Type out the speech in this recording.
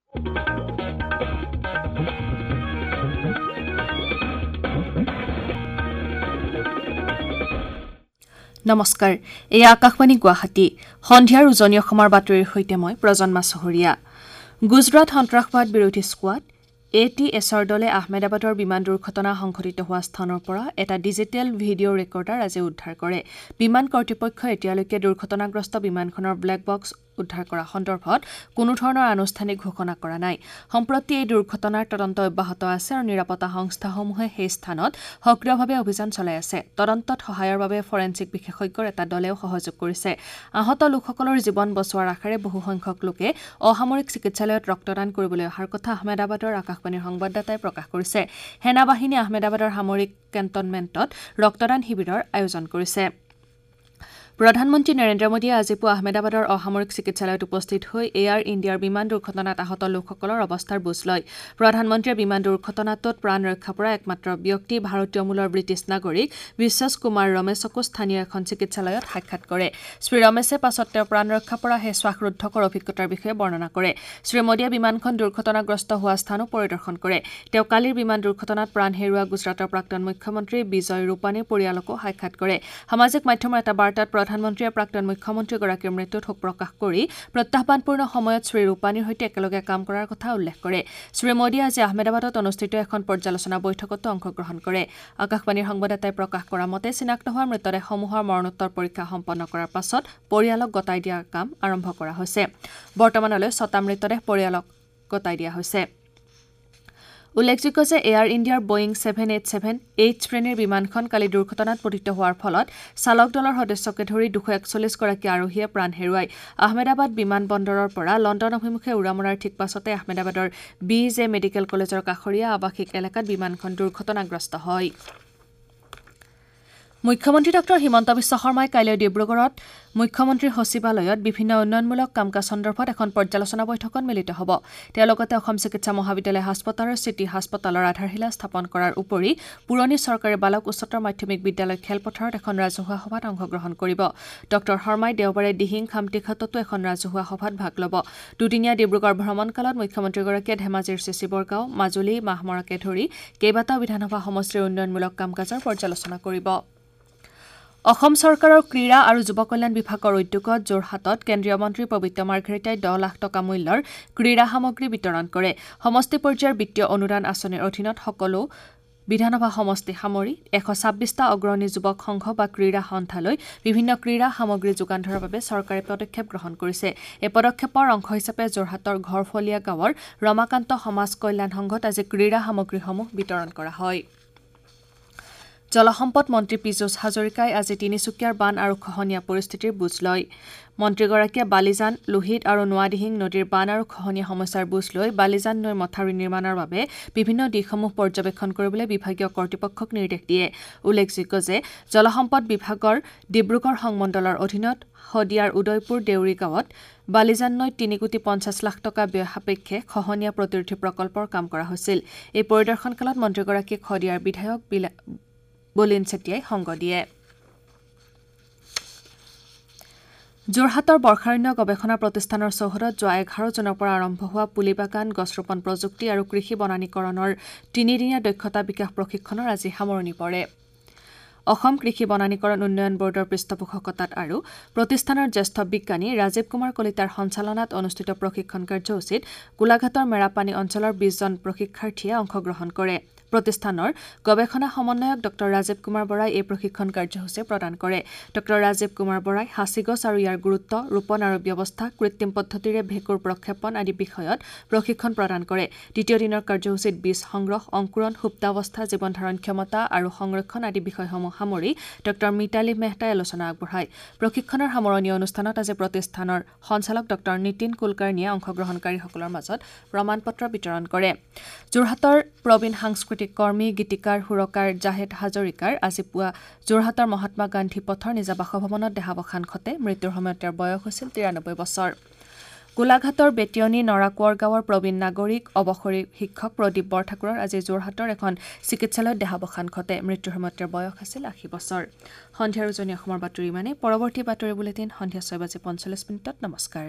নমস্কাৰ, এয়া আকাশবাণী গুৱাহাটী। সন্ধিয়াৰ উজনি অসমৰ বাতৰিৰ সৈতে মই প্ৰজন্মা চহৰীয়া। গুজৰাট সন্ত্ৰাসবাদ বিৰোধী স্কোৱাড ATSৰ দলে আহমেদাবাদৰ বিমান দুৰ্ঘটনা সংঘটিত হোৱা স্থানৰ পৰা এটা ডিজিটেল ভিডিঅ' ৰেকৰ্ডাৰ আজি উদ্ধাৰ কৰে। বিমান কৰ্তৃপক্ষই এতিয়ালৈকে দুৰ্ঘটনাগ্ৰস্ত বিমানখনৰ ব্লেক বক্স উদ্ধাৰ কৰা সন্দৰ্ভত কোনো ধৰণৰ আনুষ্ঠানিক ঘোষণা কৰা নাই। সম্প্ৰতি এই দুৰ্ঘটনাৰ তদন্ত অব্যাহত আছে আৰু নিৰাপত্তা সংস্থাসমূহে সেই স্থানত সক্ৰিয়ভাৱে অভিযান চলাই আছে। তদন্তত সহায়ৰ বাবে ফৰেনছিক বিশেষজ্ঞৰ এটা দলেও সহযোগ কৰিছে। আহত লোকসকলৰ জীৱন বচোৱাৰ আশাৰে বহুসংখ্যক লোকে অসামৰিক চিকিৎসালয়ত ৰক্তদান কৰিবলৈ অহাৰ কথা আহমেদাবাদৰ আকাশবাণীৰ সংবাদদাতাই প্ৰকাশ কৰিছে। সেনাবাহিনীয়ে আহমেদাবাদৰ সামৰিক কেণ্টনমেণ্টত ৰক্তদান শিবিৰৰ আয়োজন কৰিছে। প্ৰধানমন্ত্ৰী নৰেন্দ্ৰ মোদীয়ে আজি পুৱা আহমেদাবাদৰ অসামৰিক চিকিৎসালয়ত উপস্থিত হৈ এয়াৰ ইণ্ডিয়াৰ বিমান দুৰ্ঘটনাত আহত লোকসকলৰ অৱস্থাৰ বুজ লয়। প্ৰধানমন্ত্ৰীয়ে বিমান দুৰ্ঘটনাটোত প্ৰাণ ৰক্ষা পৰা একমাত্ৰ ব্যক্তি ভাৰতীয় মূলৰ ব্ৰিটিছ নাগৰিক বিশ্বাস কুমাৰ ৰমেশকো স্থানীয় এখন চিকিৎসালয়ত সাক্ষাৎ কৰে। শ্ৰী ৰমেশে পাছত তেওঁ প্ৰাণ ৰক্ষা পৰা সেই শ্বাসৰুদ্ধকৰ অভিজ্ঞতাৰ বিষয়ে বৰ্ণনা কৰে। শ্ৰী মোদীয়ে বিমানখন দুৰ্ঘটনাগ্ৰস্ত হোৱা স্থানো পৰিদৰ্শন কৰে। তেওঁ কালিৰ বিমান দুৰ্ঘটনাত প্ৰাণ হেৰুওৱা গুজৰাটৰ প্ৰাক্তন মুখ্যমন্ত্ৰী বিজয় ৰূপানীৰ পৰিয়ালকো সাক্ষাৎ কৰে। সামাজিক মাধ্যমৰ এটা বাৰ্তাত প্ৰধানমন্ত্ৰীয়ে প্ৰাক্তন মুখ্যমন্ত্ৰীগৰাকীৰ মৃত্যুত শোক প্ৰকাশ কৰি প্ৰত্যাহ্বানপূৰ্ণ সময়ত শ্ৰী ৰূপানীৰ সৈতে একেলগে কাম কৰাৰ কথা উল্লেখ কৰে। শ্ৰী মোদীয়ে আজি আহমেদাবাদত অনুষ্ঠিত এখন পৰ্যালোচনা বৈঠকতো অংশগ্ৰহণ কৰে। আকাশবাণীৰ সংবাদদাতাই প্ৰকাশ কৰা মতে চিনাক্ত হোৱা মৃতদেহসমূহৰ মৰণোত্তৰ পৰীক্ষা সম্পন্ন কৰাৰ পাছত পৰিয়ালক গতাই দিয়াৰ কাম আৰম্ভ কৰা হৈছে। বৰ্তমানলৈ 6টা মৃতদেহ পৰিয়ালক গতাই দিয়া হৈছে। উল্লেখযোগ্য যে এয়াৰ ইণ্ডিয়াৰ বয়িং 787-8 শ্ৰেণীৰ বিমানখন কালি দুৰ্ঘটনাত পতিত হোৱাৰ ফলত চালক দলৰ সদস্যকে ধৰি 241 গৰাকী আৰোহীয়ে প্ৰাণ হেৰুৱায়। আহমেদাবাদ বিমান বন্দৰৰ পৰা লণ্ডন অভিমুখে উৰা মৰাৰ ঠিক পাছতে আহমেদাবাদৰ BJ medical কলেজৰ কাষৰীয়া আৱাসিক এলেকাত বিমানখন দুৰ্ঘটনাগ্ৰস্ত হয়। মুখ্যমন্ত্ৰী ডঃ হিমন্ত বিশ্ব শৰ্মাই কাইলৈ ডিব্ৰুগড়ত মুখ্যমন্ত্ৰীৰ সচিবালয়ত বিভিন্ন উন্নয়নমূলক কাম কাজ সন্দৰ্ভত এখন পৰ্যালোচনা বৈঠকত মিলিত হ'ব। তেওঁ লগতে অসম চিকিৎসা মহাবিদ্যালয় হাস্পতালৰ চিটি হাস্পতালৰ আধাৰশিলা স্থাপন কৰাৰ উপৰি পুৰণি চৰকাৰী বালক উচ্চতৰ মাধ্যমিক বিদ্যালয় খেলপথাৰত এখন ৰাজহুৱা সভাত অংশগ্ৰহণ কৰিব। ডঃ শৰ্মাই দেওবাৰে দিহিং খামটিঘাটতো এখন ৰাজহুৱা সভাত ভাগ ল'ব। দুদিনীয়া ডিব্ৰুগড় ভ্ৰমণকালত মুখ্যমন্ত্ৰীগৰাকীয়ে ধেমাজিৰ চিচিবৰগাঁও, মাজুলী, মাহমৰাকে ধৰি কেইবাটাও বিধানসভা সমষ্টিৰ উন্নয়নমূলক কাম কাজৰ পৰ্যালোচনা কৰিব। অসম চৰকাৰৰ ক্ৰীড়া আৰু যুৱ কল্যাণ বিভাগৰ উদ্যোগত যোৰহাটত কেন্দ্ৰীয় মন্ত্ৰী পবিত্ৰ মাৰ্ঘেৰিটাই 10 লাখ টকা মূল্যৰ ক্ৰীড়া সামগ্ৰী বিতৰণ কৰে। সমষ্টি পৰ্যায়ৰ বিত্তীয় অনুদান আঁচনিৰ অধীনত সকলো বিধানসভা সমষ্টি সামৰি 126টা অগ্ৰণী যুৱক সংঘ বা ক্ৰীড়া সন্থালৈ বিভিন্ন ক্ৰীড়া সামগ্ৰী যোগান ধৰাৰ বাবে চৰকাৰে পদক্ষেপ গ্ৰহণ কৰিছে। এই পদক্ষেপৰ অংশ হিচাপে যোৰহাটৰ ঘৰফলীয়া গাঁৱৰ ৰমাকান্ত সমাজ কল্যাণ সংঘত আজি ক্ৰীড়া সামগ্ৰীসমূহ বিতৰণ কৰা হয়। জলসম্পদ মন্ত্ৰী পীযুষ হাজৰিকাই আজি তিনিচুকীয়াৰ বান আৰু খহনীয়া পৰিস্থিতিৰ বুজ লয়। মন্ত্ৰীগৰাকীয়ে বালিজান, লোহিত আৰু নোৱাদিহিং নদীৰ বান আৰু খহনীয়া সমস্যাৰ বুজ লৈ বালিজান নৈৰ মথাউৰি নিৰ্মাণৰ বাবে বিভিন্ন দিশসমূহ পৰ্যবেক্ষণ কৰিবলৈ বিভাগীয় কৰ্তৃপক্ষক নিৰ্দেশ দিয়ে। উল্লেখযোগ্য যে জলসম্পদ বিভাগৰ ডিব্ৰুগড় সংমণ্ডলৰ অধীনত শদিয়াৰ উদয়পুৰ দেউৰী গাঁৱত বালিজান নৈত 3 কোটি 50 লাখ টকা ব্যয় সাপেক্ষে খহনীয়া প্ৰতিৰোধী প্ৰকল্পৰ কাম কৰা হৈছিল। এই পৰিদৰ্শনকালত মন্ত্ৰীগৰাকীক শদিয়াৰ বিধায়ক বলিন চেতিয়াই সংগ দিয়ে। যোৰহাটৰ বৰ্ষাৰণ্য গৱেষণা প্ৰতিষ্ঠানৰ চৌহদত যোৱা 11 জুনৰ পৰা আৰম্ভ হোৱা পুলিবাগান, গছ ৰোপণ প্ৰযুক্তি আৰু কৃষি বনানীকৰণৰ তিনিদিনীয়া দক্ষতা বিকাশ প্ৰশিক্ষণৰ আজি সামৰণি পৰে। অসম কৃষি বনানীকৰণ উন্নয়ন বৰ্ডৰ পৃষ্ঠপোষকতাত আৰু প্ৰতিষ্ঠানৰ জ্যেষ্ঠ বিজ্ঞানী ৰাজীৱ কুমাৰ কলিতাৰ সঞ্চালনাত অনুষ্ঠিত প্ৰশিক্ষণ কাৰ্যসূচীত গোলাঘাটৰ মেৰাপানী অঞ্চলৰ 20 জন প্ৰশিক্ষাৰ্থীয়ে অংশগ্ৰহণ কৰে। প্ৰতিষ্ঠানৰ গৱেষণা সমন্বয়ক ডঃ ৰাজীৱ কুমাৰ বৰাই এই প্ৰশিক্ষণ কাৰ্যসূচী প্ৰদান কৰে। ডঃ ৰাজীৱ কুমাৰ বৰাই সাঁচি গছ আৰু ইয়াৰ গুৰুত্ব, ৰোপণ আৰু ব্যৱস্থা, কৃত্ৰিম পদ্ধতিৰে ভেঁকুৰ প্ৰক্ষেপণ আদি বিষয়ত প্ৰশিক্ষণ প্ৰদান কৰে। দ্বিতীয় দিনৰ কাৰ্যসূচীত বীজ সংগ্ৰহ, অংকুৰণ, সুপ্তাৱস্থা, জীৱন ধাৰণ ক্ষমতা আৰু সংৰক্ষণ আদি বিষয়সমূহ সামৰি ডঃ মিতালী মেহতাই আলোচনা আগবঢ়ায়। প্ৰশিক্ষণৰ সামৰণি অনুষ্ঠানত আজি প্ৰতিষ্ঠানৰ সঞ্চালক ডঃ নীতিন কুলকাৰ্ণীয়ে অংশগ্ৰহণকাৰীসকলৰ মাজত প্ৰমাণ পত্ৰ বিতৰণ কৰে। যোৰহাটৰ প্ৰবীণ সাংস্কৃতিক কৰ্মী, গীতিকাৰ, সুৰকাৰ জাহেদ হাজৰিকাৰ আজি পুৱা যোৰহাটৰ মহাত্মা গান্ধী পথৰ নিজা বাসভৱনত দেহাৱসান ঘটে। মৃত্যুৰ সময়ত তেওঁৰ বয়স হৈছিল 93 বছৰ। গোলাঘাটৰ বেতিয়নী নৰাকোঁৱৰ গাঁৱৰ প্ৰবীণ নাগৰিক অৱসৰী শিক্ষক প্ৰদীপ বৰঠাকুৰৰ আজি যোৰহাটৰ এখন চিকিৎসালয়ত দেহাৱসান ঘটে। মৃত্যুৰ সময়ত তেওঁৰ বয়স আছিল 80 বছৰ। সন্ধিয়াৰ উজনি অসমৰ বাতৰি ইমানেই। পৰৱৰ্তী বাতৰি বুলেটিন সন্ধিয়া 6:45। নমস্কাৰ।